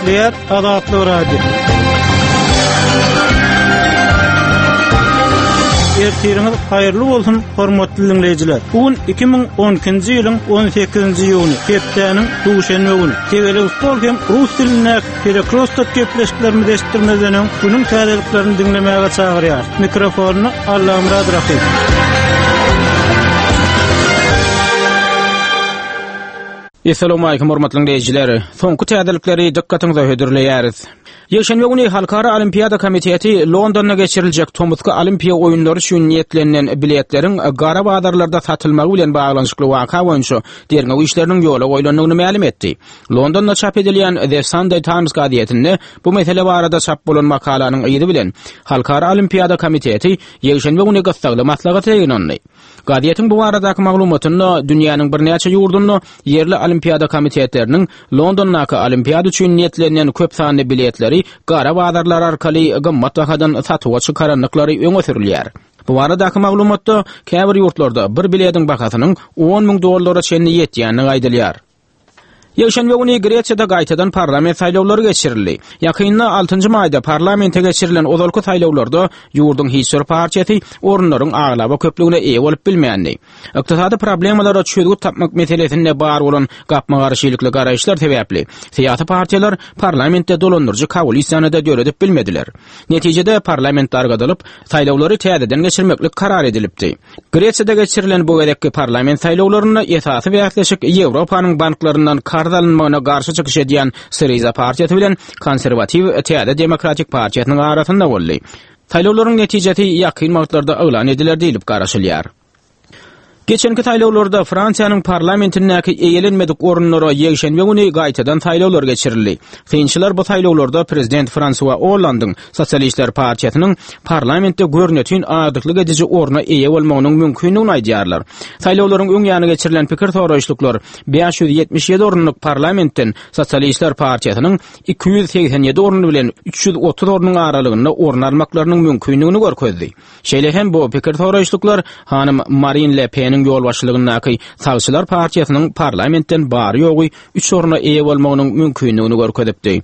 Gepleýär Azatlyk Radiosy. Ertiriňiz haýyrly bolsun, hormatly diňleýjiler. Bu gün 2012-nji ýylyň 18-nji iýuny, hepdäniň duşenbe güni. Tegelek stol hem rus dilindäki Perekrostok gepleşiklerimizi eşitdirmezden öň, günüň täzeliklerini diňlemäge çagyrýarys. Mikrofonda Allamyrat Rahymow. Essalawmalikim hormatly diňleýjiler! Soňky täzelikleri dykgatyňyza hödürleýäris. Ýekşenbe güni Halkara Olimpiada komiteti Londonda geçiriljek tomusky Olimpiýa oýunlary üçin niýetlenilen biletleriň gara bazarlarda satylmagy bilen baglanyşykly waka boýunça derňew işleriniň ýola goýlandygyny mälim etdi. Londonda çap edilýän The Sunday Times gazetinde bu mesele barada çap bolan makalanyň yzy bilen Halkara Olimpiada komiteti ýekşenbe güni gyssagly maslahata ýygnandy. Gazetiň bu baradaky maglumatynda dünýäniň birnäçe ýurdunda ýerli olimpiada komitetleriniň Londondaky olimpiada üçin niýetlenilen köp sanly biletleri gara bazarlar arkaly gymmat bahadan satuwa çykarandyklary öňe sürülýär. Bu baradaky maglumatda käbir ýurtlarda bir biletiň bahasynyň 10 müň dollara çenli ýetýändigi aýdylýar. Ýekşenbe güni Gresiýada gaýtadan parlament saýlawlary geçirildi. Ýakynda, altynjy maýda parlamente geçirilen ozalky saýlawlarda ýurduň hiç bir partiýasy orunlaryň aglaba köplügine eýe bolup bilmändi. Ykdysady problemalara çözgüt tapmak meselesinde bar bolan gapma-garşylykly garaýyşlar sebäpli, syýasy partiýalar parlamentde dolandyryjy koalisiýany-da döredip bilmediler. Netijede, parlament dargadylyp, saýlawlary täzeden geçirmeklik karar edilipdi. Gresiýada geçirilen bu gezekki parlament saýlawlarynda esasy bäsleşik Ýewropanyň banklaryndan karz alynmagyna garşy çykyş edýän Syriza partiýasy bilen konserwatiw Täze demokratik partiýasynyň arasynda boldy. Saýlawlaryň netijesi ýakyn wagtlarda yglan ediler diýlip garaşylýar. Geçenki saýlawlarda Fransiýanyň parlamentindäki eýelenmedik orunlara ýekşenbe güni gaýtadan saýlawlar geçirildi. Synçylar bu saýlawlarda prezident Fransua Ollandyň Sosialistler partiýasynyň parlamentde görnetin agdyklyk ediji orna eýe bolmagynyň mümkindigini aýdýarlar. Saýlawlaryň öň ýany geçirilen pikir soraýyşlyklar 577 orunlyk parlamentden Sosialistler partiýasynyň 287 orun bilen 330 ornuň aralygynda orun almaklarynyň mümkindigini görkezdi. Şeýle hem bu pikir soraýyşlyklar hanym Marin Le Peniň ýolbaşçylygyndaky Sagçylar partiýasynyň parlamentden bary-ýogy üç orna eýe bolmagynyň mümkindigini görkezipdi.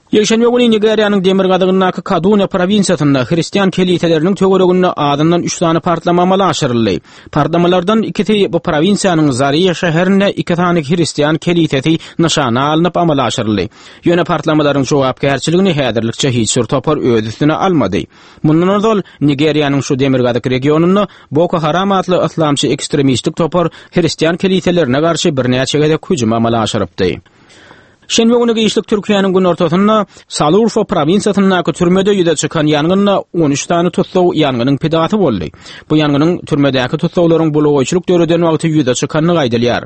Ýekşenbe güni Nigeriýanyň demirgazygyndaky Kaduna prowinsiýasynda hristian keliseleriniň töwereginde azyndan üç sany partlama amala aşyryldy. Partlamalardan ikisi bu prowinsiýanyň Zaria şäherinde iki sany hristian kelisesi nyşana alnyp amala aşyryldy. Ýöne partlamalaryň jogapkärçiligini häzirlikçe hiç bir topar öz üstüne almady. Mundan ozal, Nigeriýanyň şu demirgazyk regionynda Boko Haram atly yslamçy ekstremistik topar hristian keliselerine garşy birnäçe gezek hüjüm amala aşyrypdy. Şenbe güni giçlik Türkiýäniň günortasynda Salurfa prowinsiýasyndaky türmede ýüze çykan ýangynda 13 sany tussag ýangynyň pidasy boldy. Bu ýangynyň türmedäki tussaglaryň bulagaýçylyk döreden wagty ýüze çykandygy aýdylýar.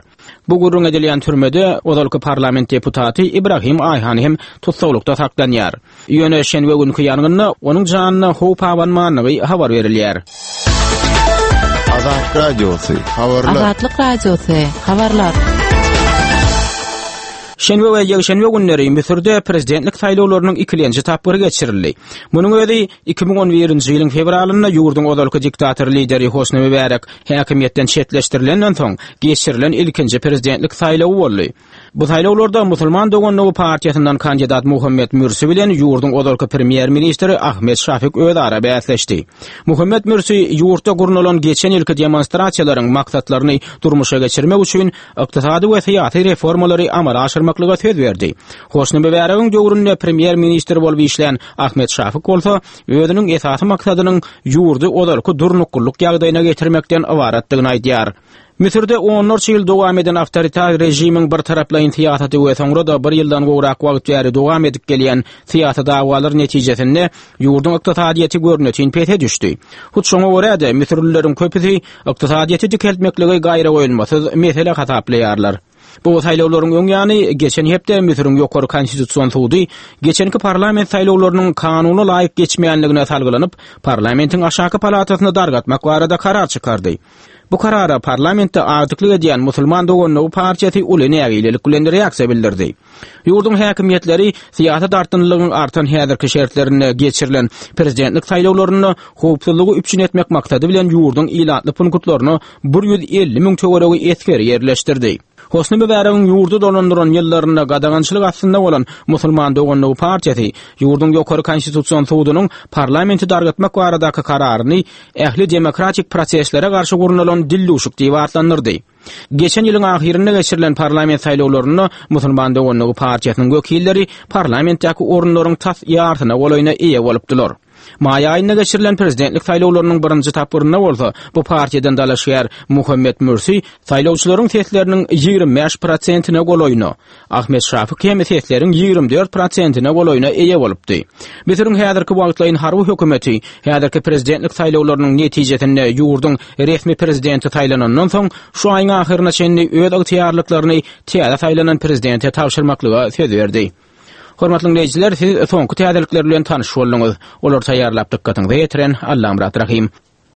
Bu gürrüň edilýän türmede ozalky parlament deputaty Ibrahim Aýhan hem tussaglykda saklanýar. Ýöne şenbe günki ýangynda onuň janyna howp abanmandygy habar berilýär. Azat Radiosy, habarlar. Azatlyk Radiosy, habarlar. Şenbe we ýekşenbe günleri Müsürde prezidentlik saýlawlarynyň ikilenji tapgyry geçirildi. Munuň özi 2011-nji ýylyň fewralynda ýurduň ozalky diktator lideri Hosni Mübärek häkimiýetden çetleşdirilenden soň geçirilen ilkinji prezidentlik saýlawy boldy. Bu saýlawlarda Musulman doganlygy partiýasyndan kandidat Muhammet Mürsi bilen ýurduň ozalky premýer-ministri Ahmet Şafik özara bäsleşdi. Muhammet Mürsi ýurtda gurnalan geçen ýylky demonstrasiýalaryň maksatlaryny durmuşa geçirmek üçin ykdysady we syýasy reformalary amala aşyrmaklyga söz berdi. Hosni Mübäregiň döwründe premýer-ministr bolup işlän Ahmet Şafik bolsa özüniň esasy maksadynyň ýurdy ozalky durnuklylyk ýagdaýyna getirmekden ybaratdygyny aýdýar. Müsürde onlarça ýyl dowam eden awtoritar režimiň birtaraplaýyn syýasaty we soňra-da bir ýyldan gowrak wagt bäri dowam edip gelýän syýasy dawalar netijesinde ýurduň ykdysadyýeti görnetin pese düşdi. Hut şoňa görä-de, müsürlileriň köpüsi ykdysadyýeti dikeltmekligi gaýragoýulmasyz mesele hasaplaýarlar. Bu saýlawlaryň öň ýany, geçen hepde Müsüriň Ýokary Konstitusion sudy geçenki parlament saýlawlarynyň kanuna laýyk geçmeýänligine salgylanyp, parlamentiň aşaky palatasyny dargatmak barada karar çykardy. Bu karara parlamentde agdyklyk edýän Musulman doganlygy partiýasy uly nägilelik bilen reaksiýa bildirdi. Ýurduň häkimiýetleri syýasy dartgynlylygyň artan häzirki şertlerinde geçirilen prezidentlik saýlawlarynda howpsuzlygy üpjün etmek maksady bilen ýurduň ilatly punktlaryna 150 müň töweregi esgeri ýerleşdirdi. Hosni Mübäregiň ýurdy dolandyran ýyllarynda gadagançylyk astynda bolan Musulman doganlygy partiýasy ýurduň Ýokary Konstitusion sudunyň parlamenti dargatmak baradaky kararyny ähli demokratik proseslere garşy gurnalan dildüwşük diýip atlandyrdy. Geçen ýylyň ahyrynda geçirilen parlament saýlawlarynda Musulman doganlygy partiýasynyň wekilleri parlamentdäki orunlaryň tas ýarsyna golaýyna eýe bolupdylar. Maý aýynda geçirilen prezidentlik saýlawlarynyň birinji tapgyrynda bolsa bu partiýadan dalaşgär Muhammet Mürsi saýlawçylaryň sesleriniň 25 prosentine golaýyna, Ahmet Şafik hem sesleriň 24 prosentine golaýyna eýe bolupdy. Müsüriň häzirki wagtlaýyn harby hökümeti häzirki prezidentlik saýlawlarynyň netijesinde ýurduň resmi prezidenti saýlanandan soň şu aýyň ahyryna çenli öz ygtyýarlyklaryny täze saýlanan prezidente tabşyrmaklyga söz berdi. Hormatly diňleýjiler, siz soňky täzelikler bilen tanyş bolduňyz. Olary taýýarlap dykgatyňyza ýetiren Allamyrat Rahym.